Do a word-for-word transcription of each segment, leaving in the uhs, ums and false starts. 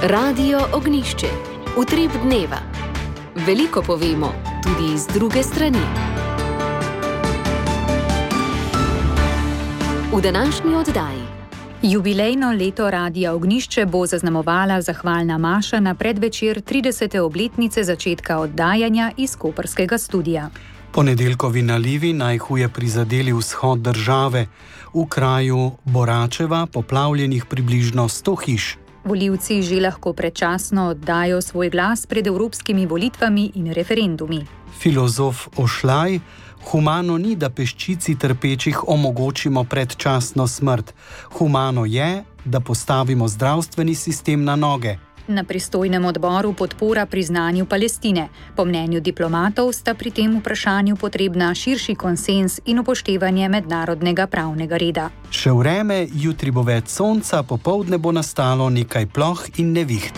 Radio Ognjišče. Utrip dneva. Veliko povemo, tudi iz druge strani. V današnji oddaji. Jubilejno leto Radia Ognjišče bo zaznamovala zahvalna maša na predvečer tridesete obletnice začetka oddajanja iz koprskega studia. Ponedeljkovi nalivi najhuje prizadeli vzhod države. V kraju Boračeva poplavljenih približno sto hiš. Volivci že lahko predčasno oddajo svoj glas pred evropskimi volitvami in referendumi. Filozof Ošlaj: humano ni, da peščici trpečih omogočimo predčasno smrt. Humano je, da postavimo zdravstveni sistem na noge. Na pristojnem odboru podpora priznanju Palestine. Po mnenju diplomatov sta pri tem vprašanju potrebna širši konsenz in upoštevanje mednarodnega pravnega reda. Še vreme, jutri bo več sonca, popoldne bo nastalo nekaj ploh in neviht.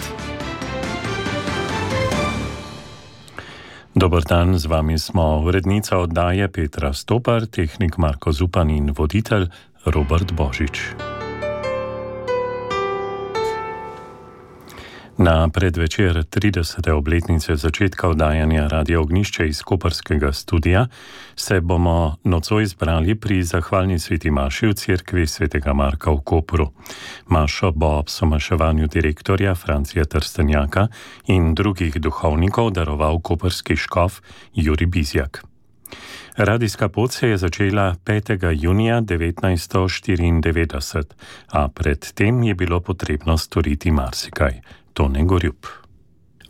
Dober dan, z vami smo urednica oddaje Petra Stopar, tehnik Marko Zupan in voditelj Robert Božič. Na predvečer tridesete obletnice začetka oddajanja Radia Ognjišče iz koprskega studia se bomo nocoj zbrali pri zahvalni sveti maši v cerkvi svetega Marka v Kopru. Mašo bo ob somaševanju direktorja Francija Trstenjaka in drugih duhovnikov daroval koprski škof Jurij Bizjak. Radijska pot se je začela petega junija devetnajststo štiriindevetdeset, a pred tem je bilo potrebno storiti marsikaj. Tone Gorjup.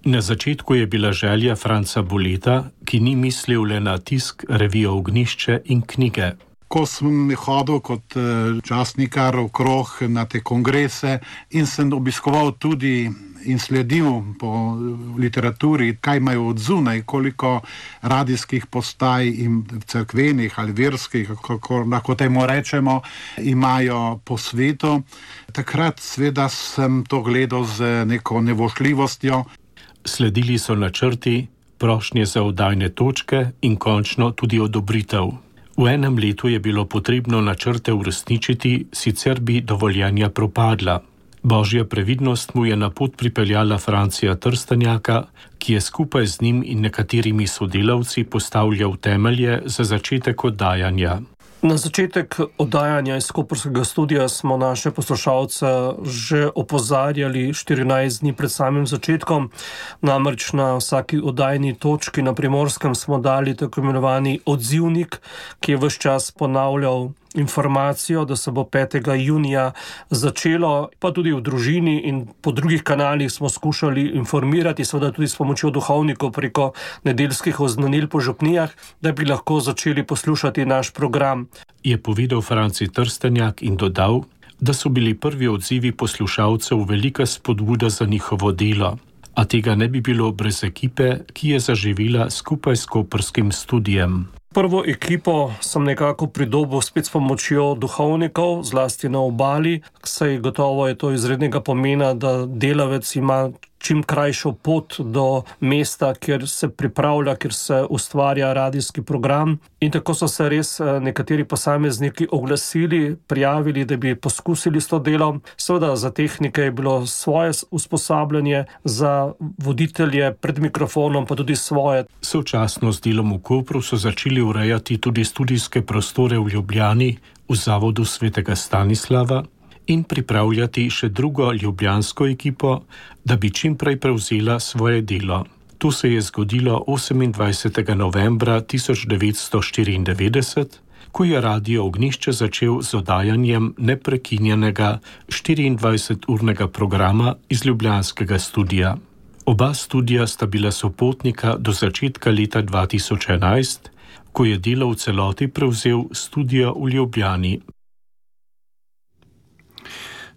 Na začetku je bila želja Franca Boleta, ki ni mislil le na tisk revije Ognjišče in knjige. Ko sem hodil kot časnikar okrog na te kongrese in sem obiskoval tudi in sledil po literaturi, kaj imajo od zunaj, koliko radijskih postaj in cerkvenih ali verskih, kako lahko temu rečemo, imajo po svetu. Takrat seveda sem to gledal z neko nevošljivostjo. Sledili so načrti, prošnje za oddajne točke in končno tudi odobritev. V enem letu je bilo potrebno načrte uresničiti, sicer bi dovoljenja propadla. Božja previdnost mu je na pot pripeljala Francija Trstenjaka, ki je skupaj z njim in nekaterimi sodelavci postavljal temelje za začetek oddajanja. Na začetek oddajanja iz koprskega studia smo naše poslušalce že opozarjali štirinajst dni pred samim začetkom. Namreč na vsaki oddajni točki na Primorskem smo dali tako imenovani odzivnik, ki je ves čas ponavljal informacijo, da se bo petega junija začelo, pa tudi v družini in po drugih kanalih smo skušali informirati, seveda tudi s pomočjo duhovnikov preko nedeljskih oznanil po župnijah, da bi lahko začeli poslušati naš program. Je povedal Franci Trstenjak in dodal, da so bili prvi odzivi poslušalcev velika spodbuda za njihovo delo, a tega ne bi bilo brez ekipe, ki je zaživela skupaj s koprskim studijem. Prvo ekipo sem nekako pridobil spet s pomočjo duhovnikov, zlasti na obali, saj gotovo je to izrednega pomena, da delavec ima čim krajšo pot do mesta, kjer se pripravlja, kjer se ustvarja radijski program. In tako so se res nekateri posamezniki oglasili, prijavili, da bi poskusili s to delom. Seveda za tehnike je bilo svoje usposabljanje, za voditelje pred mikrofonom pa tudi svoje. Sočasno s delom v Kopru so začeli urejati tudi studijske prostore v Ljubljani, v zavodu svetega Stanislava, in pripravljati še drugo ljubljansko ekipo, da bi čim prej prevzela svoje delo. To se je zgodilo osemindvajsetega novembra tisoč devetsto štiriindevetdeset, ko je Radio Ognjišče začel z oddajanjem neprekinjenega štiriindvajseturnega programa iz ljubljanskega studija. Oba studija sta bila sopotnika do začetka leta dva tisoč enajst, ko je delo v celoti prevzel studio v Ljubljani.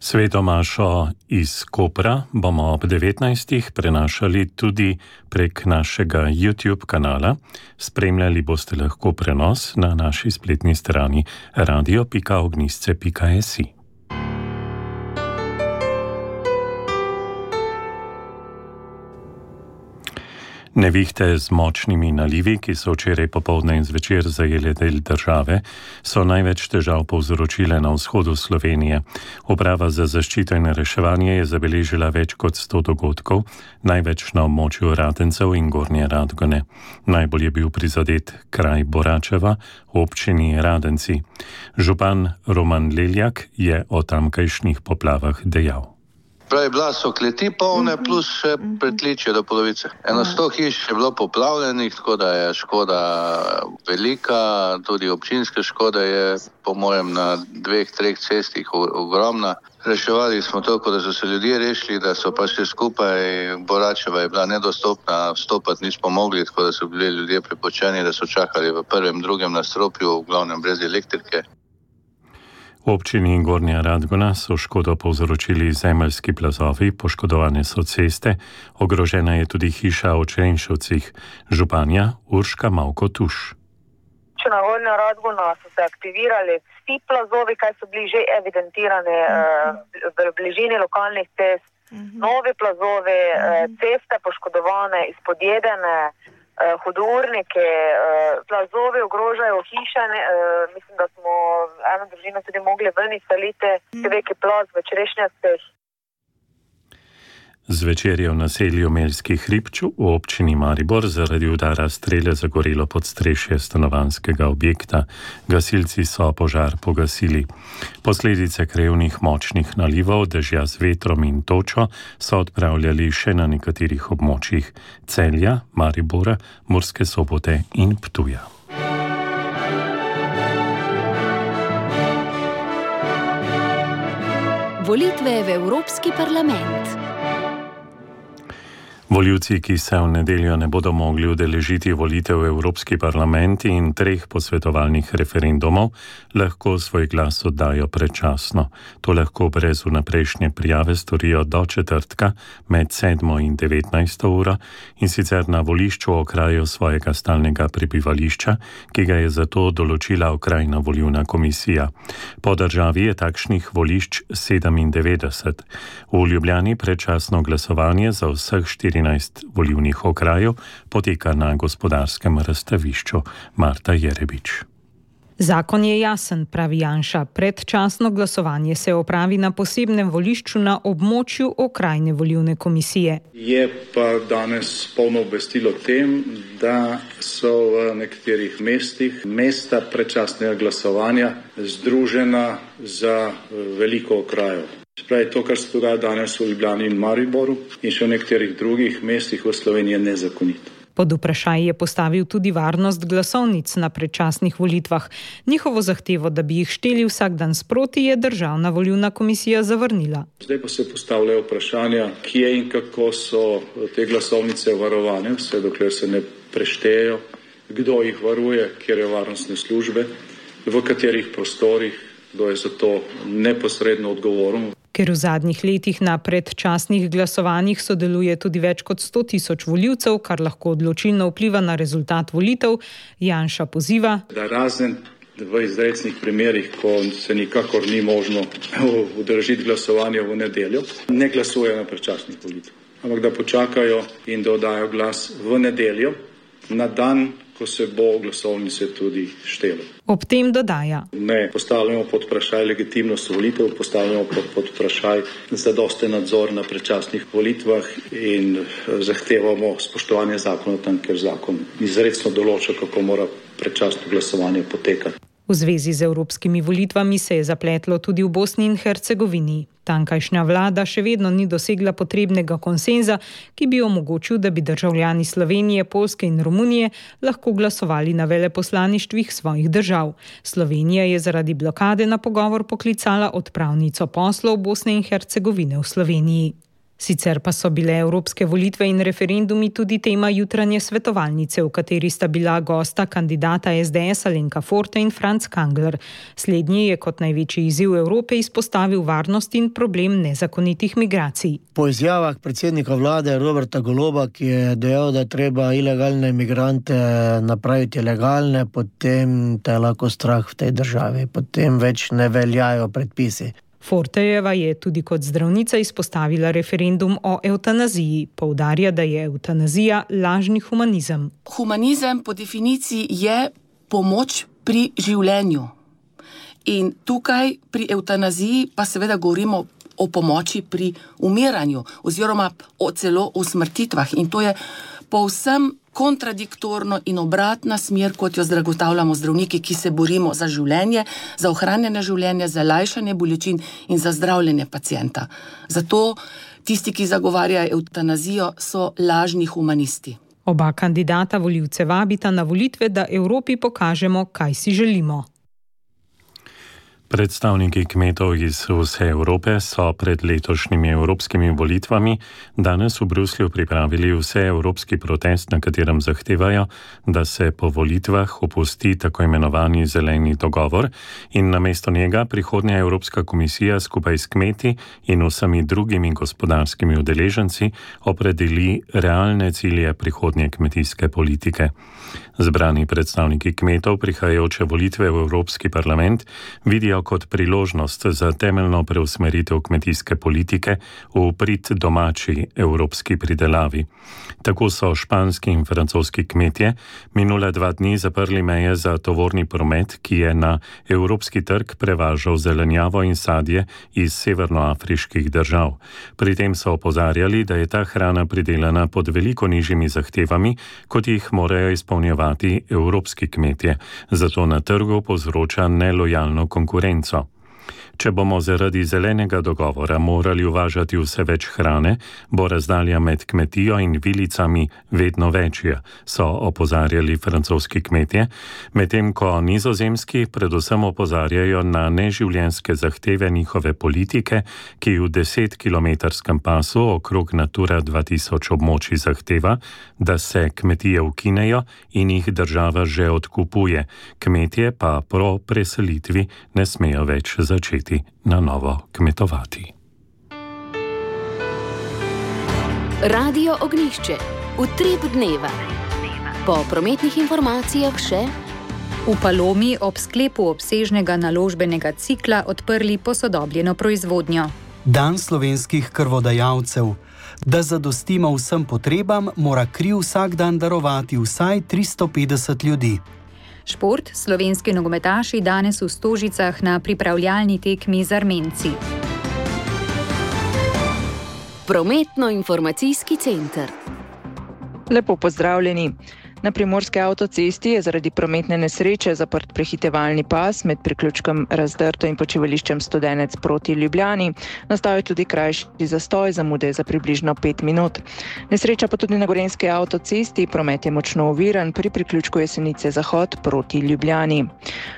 Sveto mašo iz Kopra bomo ob devetnajstih prenašali tudi prek našega YouTube kanala. Spremljali boste lahko prenos na naši spletni strani radio pika ognjišče pika si. Nevihte z močnimi nalivi, ki so včeraj popoldne in zvečer zajele del države, so največ težav povzročile na vzhodu Slovenije. Uprava za zaščito in reševanje je zabeležila več kot sto dogodkov, največ na območju Radencev in Gornje Radgone. Najbolj je bil prizadet kraj Boračeva v občini Radenci. Župan Roman Leljak je o tamkajšnjih poplavah dejal. Pravi, bila so kleti polne, plus še pritličje do polovice. Eno sto hiš je bilo poplavljenih, tako da je škoda velika, tudi občinske škode je po mojem na dveh, treh cestih ogromna. Reševali smo toliko, da so se ljudje rešili, da so pa še skupaj, Boračeva je bila nedostopna, vstopati nismo mogli, tako da so bili ljudje prepočeni, da so čakali v prvem, drugem nastropju, v glavnem brez elektrike. V občini Gornja Radgona so škodo povzročili zemeljski plazovi, poškodovane so ceste, ogrožena je tudi hiša v Črenšovcih. Županja Urška Mavko-Tuš. Na Gornjo Radgono so se aktivirali vsi plazovi, kaj so bili že evidentirani uh, v bližini lokalnih cest. Uh-huh. Novi plazovi, uh, ceste poškodovane, izpodjedene, Uh, hudournike, uh, plazovi ogrožajo hiše, uh, mislim, da smo eno družino tudi mogli ven izseliti, veliki plaz v Črešnjacih. Zvečer je v naselju Meljski Hribč v občini Maribor zaradi udara strele zagorelo podstrešje stanovanjskega objekta. Gasilci so požar pogasili. Posledice krevnih močnih nalivov, dežja z vetrom in točo so odpravljali še na nekaterih območjih Celja, Maribora, Murske Sobote in Ptuja. Volitve v Evropski parlament. Volivci, ki se v nedeljo ne bodo mogli udeležiti volitev v Evropski parlament in treh posvetovalnih referendumov, lahko svoj glas oddajo predčasno. To lahko brez vnaprejšnje prijave storijo do četrtka med sedmo in devetnajsto uro in sicer na volišču v okraju svojega stalnega prebivališča, ki ga je zato določila okrajna volilna komisija. Po državi je takšnih volišč sedemindevetdeset. V Ljubljani predčasno glasovanje za vseh štirinajst volilnih okrajev poteka na Gospodarskem razstavišču. Marta Jerebič. Zakon je jasen, pravi Janša. Predčasno glasovanje se opravi na posebnem volišču na območju okrajne volilne komisije. Je pa danes polno obvestilo o tem, da so v nekaterih mestih mesta predčasnega glasovanja združena za veliko okrajev. Spravi, to, kar se dogaja danes v Ljubljani in Mariboru in še v nekaterih drugih mestih v Sloveniji, je nezakonito. Pod vprašaj je postavil tudi varnost glasovnic na predčasnih volitvah. Njihovo zahtevo, da bi jih šteli vsak dan sproti, je Državna volilna komisija zavrnila. Zdaj pa se postavljajo vprašanja, kje in kako so te glasovnice varovane, vse dokler se ne preštejejo, kdo jih varuje, kjer je varnostne službe, v katerih prostorih, kdo je za to neposredno odgovoren. Ker v zadnjih letih na predčasnih glasovanjih sodeluje tudi več kot sto tisoč volivcev, kar lahko odločilno vpliva na rezultat volitev, Janša poziva, da razen v izrecnih primerih, ko se nikakor ni možno udeležiti glasovanja v nedeljo, ne glasujejo na predčasnih volitvah, ampak da počakajo in da oddajo glas v nedeljo, na dan, ko se bo glasovnice tudi štelo. Ob tem dodaja. Ne postavljamo pod vprašaj legitimnost volitev, postavljamo pod, pod vprašaj zadosten nadzor na predčasnih volitvah in zahtevamo spoštovanje zakona tam, ker zakon izrecno določa, kako mora predčasno glasovanje potekati. V zvezi z evropskimi volitvami se je zapletlo tudi v Bosni in Hercegovini. Tankajšnja vlada še vedno ni dosegla potrebnega konsenza, ki bi omogočil, da bi državljani Slovenije, Poljske in Romunije lahko glasovali na veleposlaništvih svojih držav. Slovenija je zaradi blokade na pogovor poklicala odpravnico poslov Bosne in Hercegovine v Sloveniji. Sicer pa so bile evropske volitve in referendumi tudi tema jutranje svetovalnice, v kateri sta bila gosta kandidata es de es Alenka Forte in Franc Kangler. Slednji je kot največji izziv Evrope izpostavil varnost in problem nezakonitih migracij. Po izjavah predsednika vlade Roberta Goloba, ki je dejal, da treba ilegalne migrante napraviti legalne, potem te je lahko strah v tej državi, potem več ne veljajo predpisi. Fortejeva je tudi kot zdravnica izpostavila referendum o evtanaziji. Poudarja, da je evtanazija lažni humanizem. Humanizem po definiciji je pomoč pri življenju. In tukaj pri evtanaziji pa seveda govorimo o pomoči pri umiranju oziroma o celo o smrtitvah. In to je povsem kontradiktorno in obratna smer, kot jo zagotavljamo zdravniki, ki se borimo za življenje, za ohranjanje življenja, za lajšanje bolečin in za zdravljenje pacienta. Zato tisti, ki zagovarjajo evtanazijo, so lažni humanisti. Oba kandidata volivce vabita na volitve, da Evropi pokažemo, kaj si želimo. Predstavniki kmetov iz vse Evrope so pred letošnjimi evropskimi volitvami danes v Bruslju pripravili vseevropski protest, na katerem zahtevajo, da se po volitvah opusti tako imenovani zeleni dogovor in namesto njega prihodnja Evropska komisija skupaj s kmeti in vsemi drugimi gospodarskimi udeleženci opredeli realne cilje prihodnje kmetijske politike. Zbrani predstavniki kmetov prihajajoče volitve v Evropski parlament vidijo kot priložnost za temeljno preusmeritev kmetijske politike v prid domači evropski pridelavi. Tako so španski in francoski kmetje minule dva dni zaprli meje za tovorni promet, ki je na evropski trg prevažal zelenjavo in sadje iz severnoafriških držav. Pri tem so opozarjali, da je ta hrana pridelana pod veliko nižjimi zahtevami, kot jih morajo izpolnjevati evropski kmetje, zato na trgu povzroča nelojalno konkurenco. Če bomo zaradi zelenega dogovora morali uvažati vse več hrane, bo razdalja med kmetijo in vilicami vedno večja, so opozarjali francoski kmetje, medtem ko nizozemski predvsem opozarjajo na neživljenjske zahteve njihove politike, ki v desetkilometrskem pasu okrog Natura dva tisoč območij zahteva, da se kmetije ukinejo in jih država že odkupuje, kmetje pa po preselitvi ne smejo več začeti na novo kmetovati. Radio Ognjišče. Utrip dneva. Po prometnih informacijah še: v Palomi ob sklepu obsežnega naložbenega cikla odprli posodobljeno proizvodnjo. Dan slovenskih krvodajalcev. Da zadostimo vsem potrebam, mora kri vsak dan darovati vsaj tristo petdeset ljudi. Šport, slovenski nogometaši danes v Stožicah na pripravljalni tekmi z Armenci. Prometno-informacijski center. Lepo pozdravljeni. Na primorski avtocesti je zaradi prometne nesreče zaprt prehitevalni pas med priključkom Razdrto in počivališčem Studenec proti Ljubljani. Nastal je tudi krajši zastoj, zamude za približno pet minut. Nesreča pa tudi na gorenjski avtocesti, promet je močno oviran pri priključku Jesenice Zahod proti Ljubljani.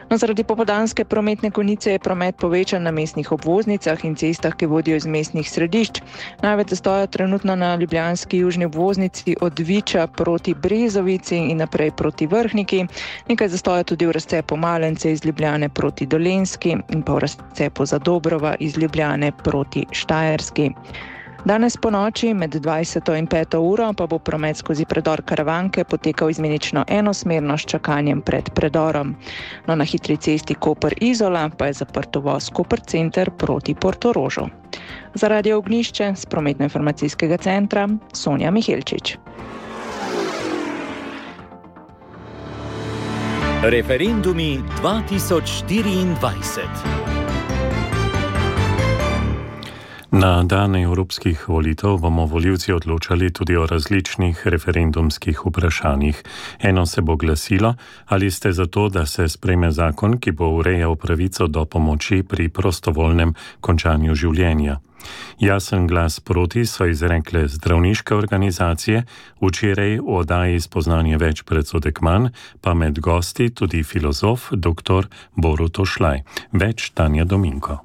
No, zaradi popoldanske prometne konice je promet povečan na mestnih obvoznicah in cestah, ki vodijo iz mestnih središč. Največ zastoja trenutno na ljubljanski južni obvoznici od Viča proti Brezovici in naprej proti Vrhniki. Nekaj zastoja tudi v razcepu Malence iz Ljubljane proti Dolenjski in pa v razcepu Zadobrova iz Ljubljane proti Štajerski. Danes po noči med dvajseto in peto uro pa bo promet skozi predor Karavanke potekal izmenično enosmerno s čakanjem pred predorom. No, na hitri cesti Koper-Izola pa je zaprt uvoz Koper center proti Portorožu. Za Radio Ognjišče z prometno-informacijskega centra Sonja Mihelčič. Referendumi dva tisoč štiriindvajset. Na dan evropskih volitev bomo volivci odločali tudi o različnih referendumskih vprašanjih. Eno se bo glasilo, ali ste za to, da se sprejme zakon, ki bo urejal pravico do pomoči pri prostovoljnem končanju življenja. Jasen glas proti so izrekle zdravniške organizacije, včeraj v oddaji Spoznanje več predsodek manj, pa med gosti tudi filozof dr. Borut Ošlaj. Več Tanja Dominko.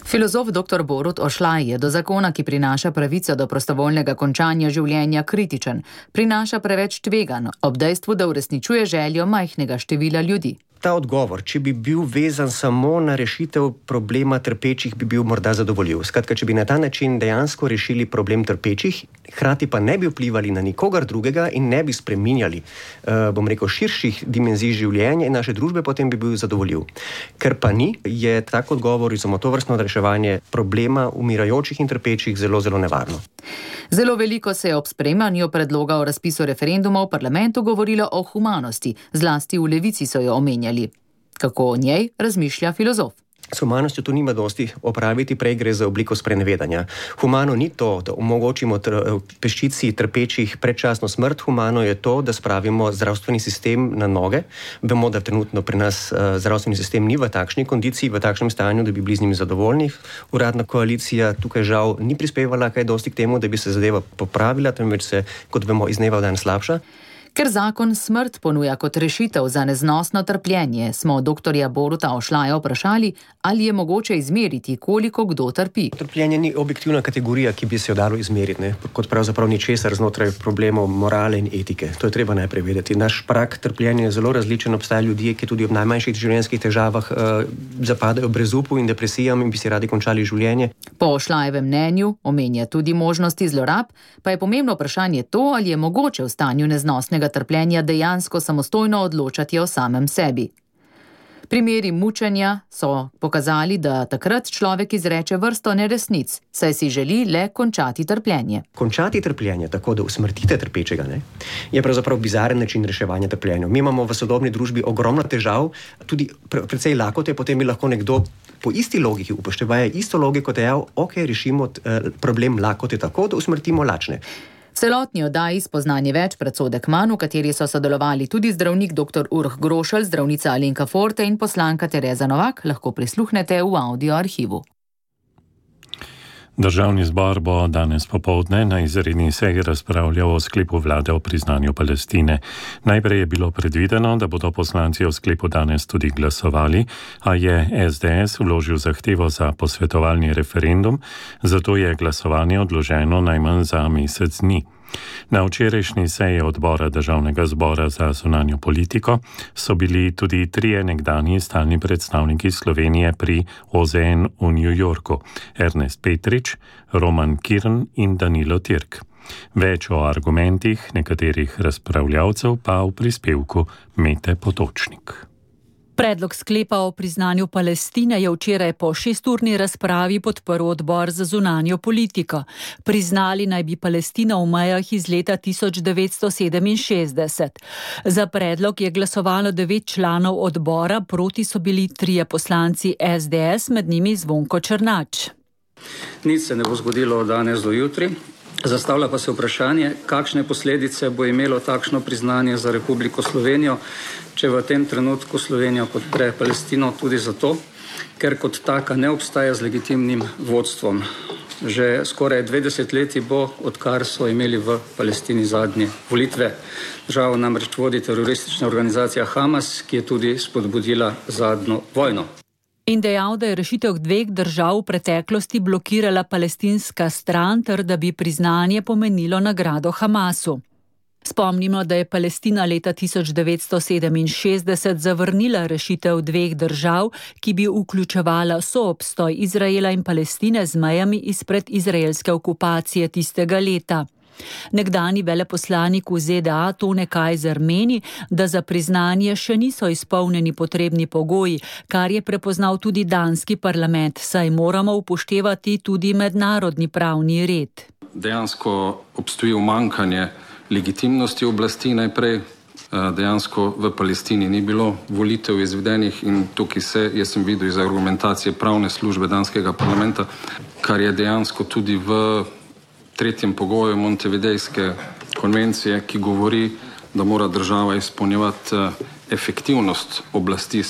Filozof dr. Borut Ošlaj je do zakona, ki prinaša pravico do prostovoljnega končanja življenja, kritičen. Prinaša preveč tveganj, ob dejstvu, da uresničuje željo majhnega števila ljudi. ta odgovor, če bi bil vezan samo na rešitev problema trpečih, bi bil morda zadovoljiv. Skratka, če bi na ta način dejansko rešili problem trpečih, hkrati pa ne bi vplivali na nikogar drugega in ne bi spreminjali, uh, bom rekel, širših dimenzij življenja in naše družbe, potem bi bil zadovoljiv. Ker pa ni, je tak odgovor za tovrstno reševanje problema umirajočih in trpečih zelo, zelo nevarno. Zelo veliko se je ob sprejemanju predloga o razpisu referenduma v parlamentu govorilo o humanosti, zlasti v Levici so jo omenjali. Kako o njej razmišlja filozof? S humanostjo tu nima dosti opraviti, prej gre za obliko sprenevedanja. Humano ni to, da omogočimo tr- peščici trpečih predčasno smrt, humano je to, da spravimo zdravstveni sistem na noge. Vemo, da trenutno pri nas uh, zdravstveni sistem ni v takšni kondiciji, v takšnem stanju, da bi bili z njimi zadovoljni. Uradna koalicija tukaj žal ni prispevala kaj dosti k temu, da bi se zadeva popravila, temveč se, kot vemo, iz dneva v dan slabša. Ker zakon smrt ponuja kot rešitev za neznosno trpljenje, smo doktorja Boruta Ošlaja vprašali, ali je mogoče izmeriti, koliko kdo trpi. Trpljenje ni objektivna kategorija, ki bi se jo dalo izmeriti, ne? Kot pravzaprav ničesar znotraj problemov morale in etike. To je treba najprej vedeti. Naš prag trpljenja je zelo različen, obstajajo ljudje, ki tudi ob najmanjših življenjskih težavah uh, zapadajo brezupu in depresijam in bi si radi končali življenje. Po Ošlajevem mnenju omenja tudi možnosti zlorab, pa je pomembno vprašanje to, ali je mogoče v stanju neznosnega trpljenja dejansko samostojno odločati o samem sebi. Primeri mučenja so pokazali, da takrat človek izreče vrsto neresnic, saj si želi le končati trpljenje. Končati trpljenje, tako da usmrtite trpečega, ne, je pravzaprav bizaren način reševanja trpljenja. Mi imamo v sodobni družbi ogromno težav, tudi pre, precej lakote, potem bi lahko nekdo po isti logiki, upoštevaje isto logiko, dejal, ok, rešimo eh, problem lakote tako, da usmrtimo lačne. V celotni oddaji Spoznanje več predsodek manj, v kateri so sodelovali tudi zdravnik doktor Urh Grošelj, zdravnica Alenka Forte in poslanka Tereza Novak, lahko prisluhnete v audio arhivu. Državni zbor bo danes popoldne na izredni seji razpravljal o sklepu vlade o priznanju Palestine. Najprej je bilo predvideno, da bodo poslanci o sklepu danes tudi glasovali, a je es de es vložil zahtevo za posvetovalni referendum, zato je glasovanje odloženo najmanj za mesec dni. Na včerajšnji seji odbora Državnega zbora za zunanjo politiko so bili tudi trije nekdanji stalni predstavniki Slovenije pri o ze en v New Yorku, Ernest Petrič, Roman Kirn in Danilo Tirk. Več o argumentih nekaterih razpravljavcev pa v prispevku Mete Potočnik. Predlog sklepa o priznanju Palestine je včeraj po šesturni razpravi podprl odbor za zunanjo politiko. Priznali naj bi Palestino v mejah iz leta tisoč devetsto sedeminšestdeset. Za predlog je glasovalo devet članov odbora, proti so bili trije poslanci es de es, med njimi Zvonko Černač. Nič se ne bo zgodilo danes do jutri. Zastavlja pa se vprašanje, kakšne posledice bo imelo takšno priznanje za Republiko Slovenijo, če v tem trenutku Slovenija podpre Palestino tudi zato, ker kot taka ne obstaja z legitimnim vodstvom. Že skoraj dve desetletji bo, odkar so imeli v Palestini zadnje volitve. Državo namreč vodi teroristična organizacija Hamas, ki je tudi spodbudila zadnjo vojno. In dejal, da je rešitev dveh držav v preteklosti blokirala palestinska stran, ter da bi priznanje pomenilo nagrado Hamasu. Spomnimo, da je Palestina leta tisoč devetsto sedeminšestdeset zavrnila rešitev dveh držav, ki bi vključevala soobstoj Izraela in Palestine z mejami izpred izraelske okupacije tistega leta. Nekdani veleposlanik v ze de a Tone Kajzer meni, da za priznanje še niso izpolnjeni potrebni pogoji, kar je prepoznal tudi danski parlament, saj moramo upoštevati tudi mednarodni pravni red. Dejansko obstoji umanjkanje legitimnosti oblasti najprej. Dejansko v Palestini ni bilo volitev izvedenih in tukaj se, jaz sem videl iz argumentacije pravne službe danskega parlamenta, kar je dejansko tudi v tretjem pogoju Montevidejske konvencije, ki govori, da mora država izpolnjevati efektivnost oblasti.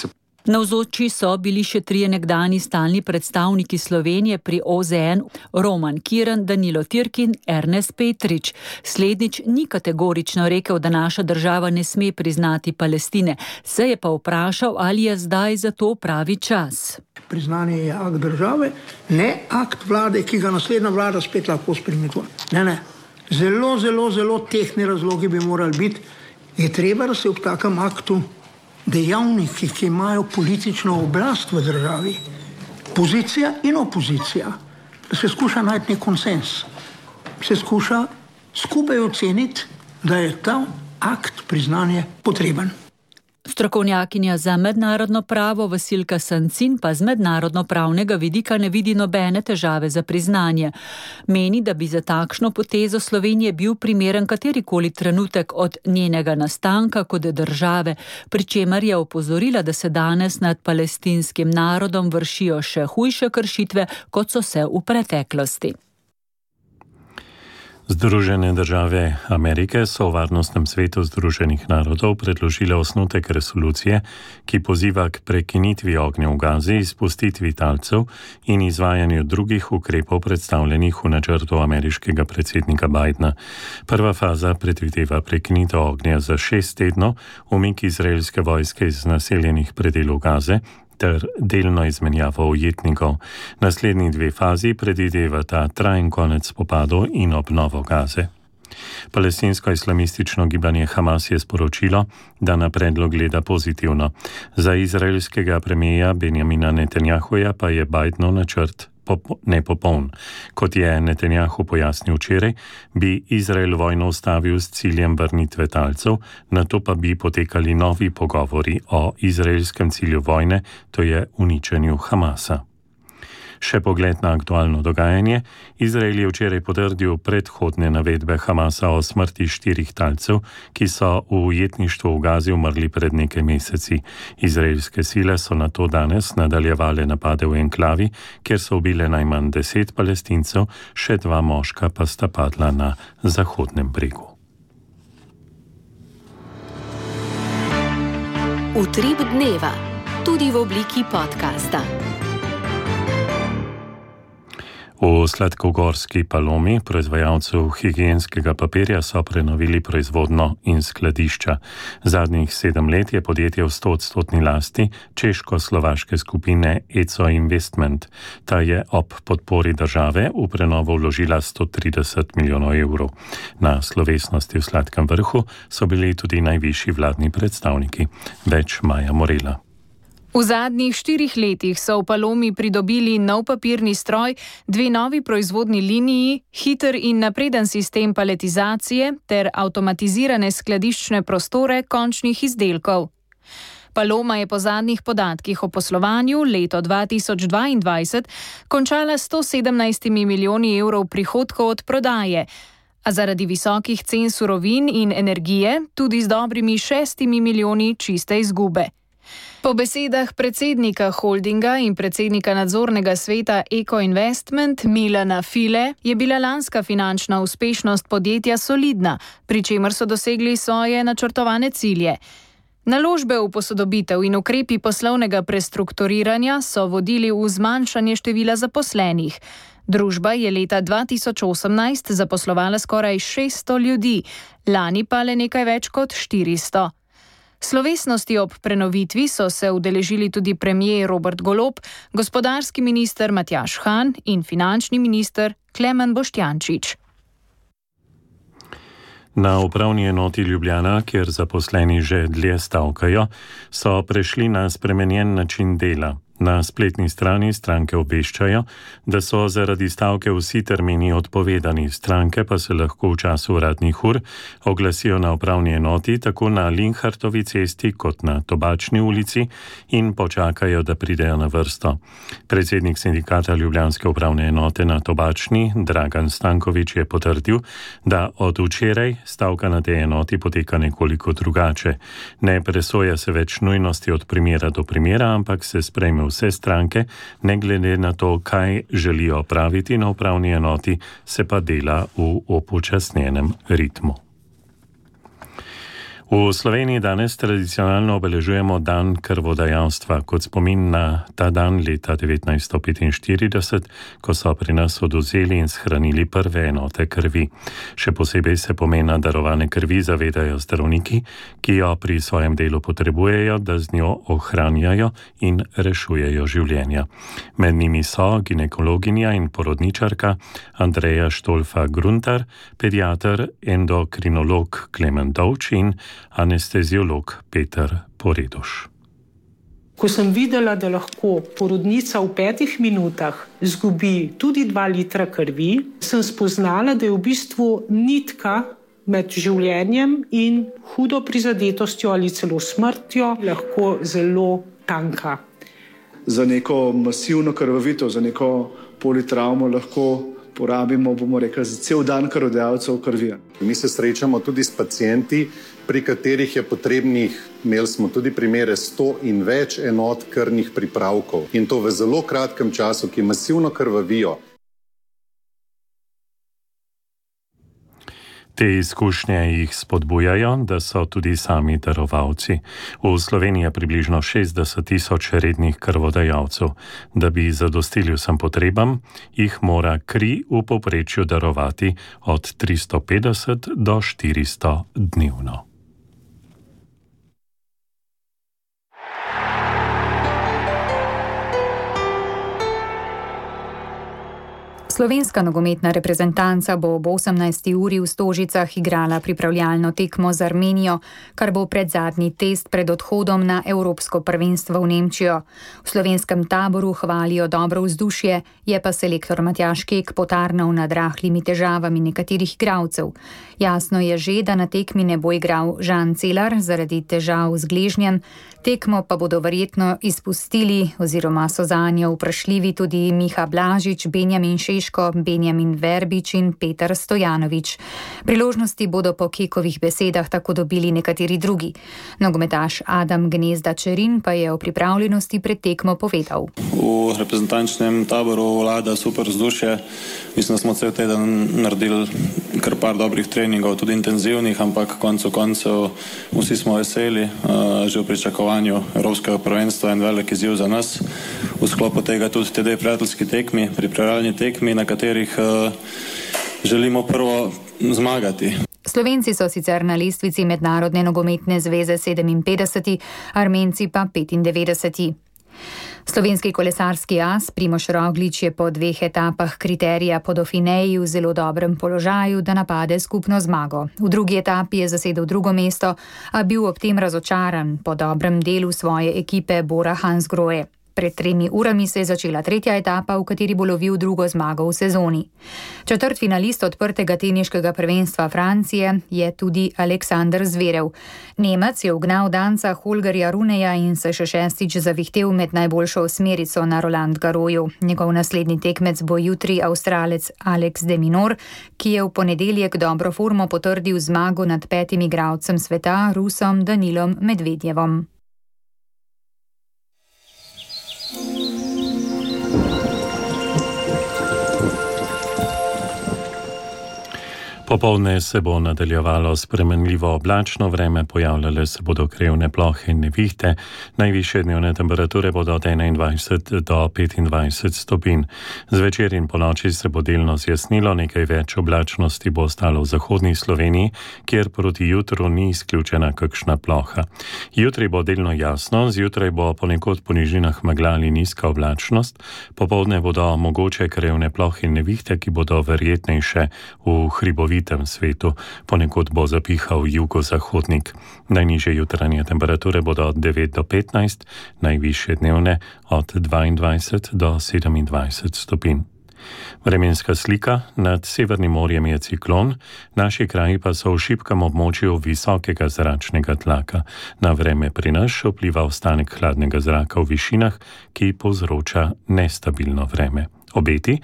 Navzoči so bili še trije nekdani stalni predstavniki Slovenije pri o ze en, Roman Kirn, Danilo Tirk in Ernest Petrič. Slednjič ni kategorično rekel, da naša država ne sme priznati Palestine, se je pa vprašal, ali je zdaj za to pravi čas. Priznanje je akt države, ne akt vlade, ki ga naslednja vlada spet lahko spremenila. Ne, ne. Zelo, zelo, zelo tehni razlogi bi morali biti. Je treba, da se ob takem aktu dejavniki, ki imajo politično oblast v državi, pozicija in opozicija, da se skuša najti nek konsens, se skuša skupaj oceniti, da je ta akt priznanja potreben. Strokovnjakinja za mednarodno pravo Vasilka Sancin pa z mednarodno-pravnega vidika ne vidi nobene težave za priznanje. Meni, da bi za takšno potezo Slovenije bil primeren katerikoli trenutek od njenega nastanka kot države, pri čemer je opozorila, da se danes nad palestinskim narodom vršijo še hujše kršitve, kot so se v preteklosti. Združene države Amerike so v Varnostnem svetu Združenih narodov predložile osnutek resolucije, ki poziva k prekinitvi ognja v Gazi, izpustitvi talcev in izvajanju drugih ukrepov predstavljenih v načrtu ameriškega predsednika Bidena. Prva faza predvideva prekinitev ognja za šest tednov, umik izraelske vojske iz naseljenih predelov Gaze ter delno izmenjavo ujetnikov. Naslednji dve fazi predvidevata trajen konec spopadov in obnovo Gaze. Palestinsko-islamistično gibanje Hamas je sporočilo, da na predlog gleda pozitivno. Za izraelskega premierja Benjamina Netanjahuja pa je Bidenov načrt nepopoln. Kot je Netanjahu pojasnil včeraj, bi Izrael vojno ustavil s ciljem vrnitve talcev, nato pa bi potekali novi pogovori o izraelskem cilju vojne, to je uničenju Hamasa. Še pogled na aktualno dogajanje. Izrael je včeraj potrdil predhodne navedbe Hamasa o smrti štirih talcev, ki so v ujetništvu v Gazi umrli pred nekaj meseci. Izraelske sile so nato danes nadaljevale napade v enklavi, kjer so ubile najmanj deset Palestincev, še dva moška pa sta padla na Zahodnem bregu. Utrip dneva, tudi v obliki podcasta. V Sladkogorski Palomi, proizvajalcu higienskega papirja, so prenovili proizvodno in skladišča. Zadnjih sedem let je podjetje v stoodstotni lasti češko-slovaške skupine E C O Investment. Ta je ob podpori države v prenovo vložila sto trideset milijonov evrov. Na slovesnosti v Sladkem vrhu so bili tudi najvišji vladni predstavniki. Več Maja Morela. V zadnjih štirih letih so v Palomi pridobili nov papirni stroj, dve novi proizvodni liniji, hiter in napreden sistem paletizacije ter avtomatizirane skladiščne prostore končnih izdelkov. Paloma je po zadnjih podatkih o poslovanju leto dva tisoč dvaindvajset končala s sto sedemnajstimi milijoni evrov prihodkov od prodaje, a zaradi visokih cen surovin in energije tudi z dobrimi šestimi milijoni čiste izgube. Po besedah predsednika holdinga in predsednika nadzornega sveta Eko Investment Milana File je bila lanska finančna uspešnost podjetja solidna, pri čemer so dosegli svoje načrtovane cilje. Naložbe v posodobitev in ukrepi poslovnega prestrukturiranja so vodili v zmanjšanje števila zaposlenih. Družba je leta dva tisoč osemnajst zaposlovala skoraj šeststo ljudi, lani pa le nekaj več kot štiristo. Slovesnosti ob prenovitvi so se udeležili tudi premier Robert Golob, gospodarski minister Matjaž Han in finančni minister Klemen Boštjančič. Na upravni enoti Ljubljana, kjer zaposleni že dlje stavkajo, so prešli na spremenjen način dela. Na spletni strani stranke obveščajo, da so zaradi stavke vsi termini odpovedani, stranke pa se lahko v času uradnih ur oglasijo na upravni enoti tako na Linhartovi cesti kot na Tobačni ulici in počakajo, da pridejo na vrsto. Predsednik sindikata Ljubljanske upravne enote na Tobačni, Dragan Stanković, je potrdil, da od včeraj stavka na tej enoti poteka nekoliko drugače. Ne presoja se več nujnosti od primera do primera, ampak se sprejme vse stranke, ne glede na to, kaj želijo opraviti na upravni enoti, se pa dela v upočasnjenem ritmu. V Sloveniji danes tradicionalno obeležujemo dan krvodajalstva kot spomin na ta dan leta devetnajststo petinštirideset, ko so pri nas odvzeli in shranili prve enote krvi. Še posebej se pomena darovane krvi zavedajo zdravniki, ki jo pri svojem delu potrebujejo, da z njo ohranjajo in rešujejo življenja. Med njimi so ginekologinja in porodničarka Andreja Štolfa-Gruntar, pediater, endokrinolog Klemen Dovč in anesteziolog Peter Poredoš. Ko sem videla, da lahko porodnica v petih minutah izgubi tudi dva litra krvi, sem spoznala, da je v bistvu nitka med življenjem in hudo prizadetostjo ali celo smrtjo lahko zelo tanka. Za neko masivno krvavitev, za neko politravmo lahko porabimo, bomo rekli, za cel dan krvodajalcev krvi. Mi se srečamo tudi s pacienti, pri katerih je potrebnih, imeli smo tudi primere sto in več enot krvnih pripravkov. In to v zelo kratkem času, ki masivno krvavijo. Te izkušnje jih spodbujajo, da so tudi sami darovalci. V Sloveniji je približno šestdeset tisoč rednih krvodajalcev. Da bi zadostili vsem potrebam, jih mora kri v povprečju darovati od tristo petdeset do štiristo dnevno. Slovenska nogometna reprezentanca bo ob osemnajsti uri v Stožicah igrala pripravljalno tekmo z Armenijo, kar bo predzadnji test pred odhodom na Evropsko prvenstvo v Nemčijo. V slovenskem taboru hvalijo dobro vzdušje, je pa selektor Matjaž Kek potarnal nad rahlimi težavami nekaterih igralcev. Jasno je že, da na tekmi ne bo igral Žan Celar zaradi težav z gležnjem, tekmo pa bodo verjetno izpustili oziroma so zanjo vprašljivi tudi Miha Blažič, Benjamin Šeško, Benjamin Verbič in Petar Stojanovič. Priložnosti bodo po Kekovih besedah tako dobili nekateri drugi. Nogometaš Adam Gnezda Čerin pa je o pripravljenosti pred tekmo povedal. V reprezentančnem taboru vlada super vzdušje. Mislim, da smo cel teden naredili kar par dobrih treningov, tudi intenzivnih, ampak koncu koncev vsi smo veseli, že v pričakovanju Evropskega prvenstva in velik izziv za nas. V sklopu tega tudi te dve prijateljski tekmi, pripravljalni tekmi, na katerih želimo prvo zmagati. Slovenci so sicer na lestvici Mednarodne nogometne zveze sedeminpetdeseti, Armenci pa petindevetdeseti. Slovenski kolesarski as Primož Roglič je po dveh etapah kriterija po Dauphineji v zelo dobrem položaju, da napade skupno zmago. V drugi etapi je zasedel drugo mesto, a bil ob tem razočaran po dobrem delu svoje ekipe Bora Hansgrohe. Pred tremi urami se je začela tretja etapa, v kateri bo lovil drugo zmago v sezoni. Četrtfinalist odprtega teniškega prvenstva Francije je tudi Aleksander Zverev. Nemec je ugnal danca Holgerja Runeja in se še šestič zavihtel med najboljšo osmerico na Roland Garrosu. Njegov naslednji tekmec bo jutri Avstralec Alex de Minaur, ki je v ponedeljek dobro formo potrdil zmago nad petim igralcem sveta, Rusom Danilom Medvedjevom. Popoldne se bo nadaljevalo spremenljivo oblačno vreme, pojavljale se bodo krevne plohe in nevihte, najvišje dnevne temperature bodo od enaindvajset do petindvajset stopinj. Zvečer in ponoči se bo delno zjasnilo, nekaj več oblačnosti bo ostalo v zahodni Sloveniji, kjer proti jutru ni izključena kakšna ploha. Jutri bo delno jasno, zjutraj bo ponekod po nižinah megla ali nizka oblačnost, popoldne bodo mogoče krevne plohe in nevihte, ki bodo verjetnejše v hribovitem svetu, ponekod bo zapihal jugozahodnik. Najnižje jutranje temperature bodo od devet do petnajst, najvišje dnevne od dvaindvajset do sedemindvajset stopinj. Vremenska slika: nad Severnim morjem je ciklon, naši kraji pa so v šibkem območju visokega zračnega tlaka. Na vreme pri nas vpliva ostanek hladnega zraka v višinah, ki povzroča nestabilno vreme. Obeti: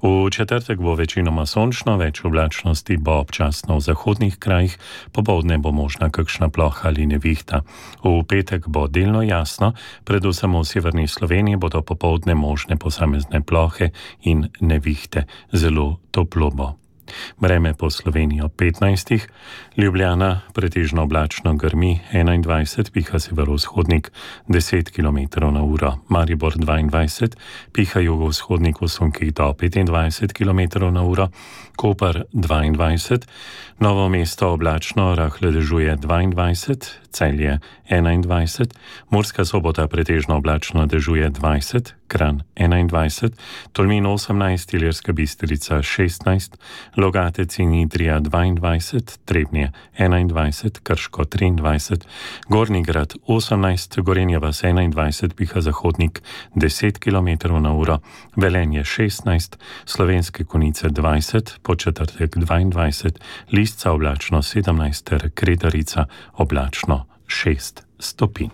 v četrtek bo večinoma sončno, več oblačnosti bo občasno v zahodnih krajih, popoldne bo možna kakšna ploha ali nevihta. V petek bo delno jasno, predvsem v severni Sloveniji bodo popoldne možne posamezne plohe in nevihte, zelo toplo bo. Vreme po Sloveniji ob petnajstih, Ljubljana pretežno oblačno, grmi enaindvajset, piha severovzhodnik deset kilometrov na uro, Maribor dvaindvajset, piha jugovzhodnik v sunkih do petindvajset kilometrov na uro, Koper dvaindvajset, Novo mesto oblačno, rahle dežuje dvaindvajset, Celje enaindvajset, Murska Sobota pretežno oblačno, dežuje dvajset, Kranj enaindvajset, Tolmin osemnajst, Ilirska Bistrica šestnajst, Logatec in Idrija dvaindvajset, Trebnje enaindvajset, Krško triindvajset, Gornji Grad osemnajst, Gorenja vas enaindvajset, piha zahodnik deset kilometrov na uro, Velenje šestnajst, Slovenske Konjice dvajset, Podčetrtek dvaindvajset, Lisca oblačno sedemnajst ter Kredarica oblačno šest stopinj.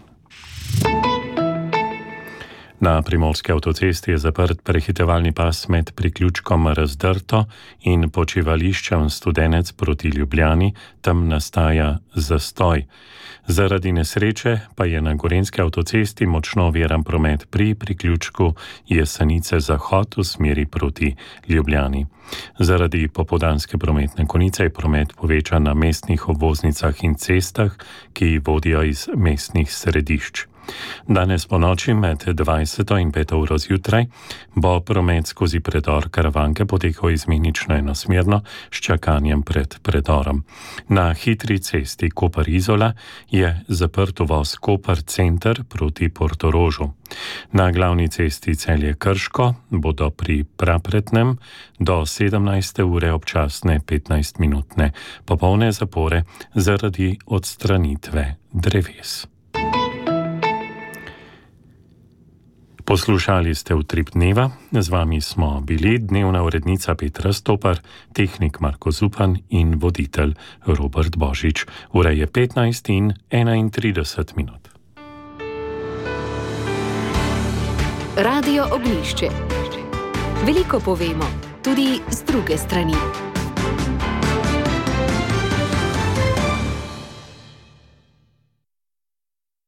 Na primorski avtocesti je zaprt prehitevalni pas med priključkom Razdrto in počivališčem Studenec proti Ljubljani, tam nastaja zastoj. Zaradi nesreče pa je na gorenjski avtocesti močno oviran promet pri priključku Jesenice Zahod v smeri proti Ljubljani. Zaradi popoldanske prometne konice je promet povečan na mestnih obvoznicah in cestah, ki vodijo iz mestnih središč. Danes po noči med dvajseto in peto uro zjutraj bo promet skozi predor Karavanke potekal izmenično enosmerno s čakanjem pred predorom. Na hitri cesti Koper-Izola je zaprt uvoz Koper center proti Portorožu. Na glavni cesti Celje-Krško bodo pri Prapretnem do sedemnajste ure občasne petnajstminutne popolne zapore zaradi odstranitve dreves. Poslušali ste Utrip dneva, z vami smo bili dnevna urednica Petra Stopar, tehnik Marko Zupan in voditelj Robert Božič. Ura je petnajst in enaintrideset minut. Radio Ognjišče. Veliko povemo, tudi z druge strani.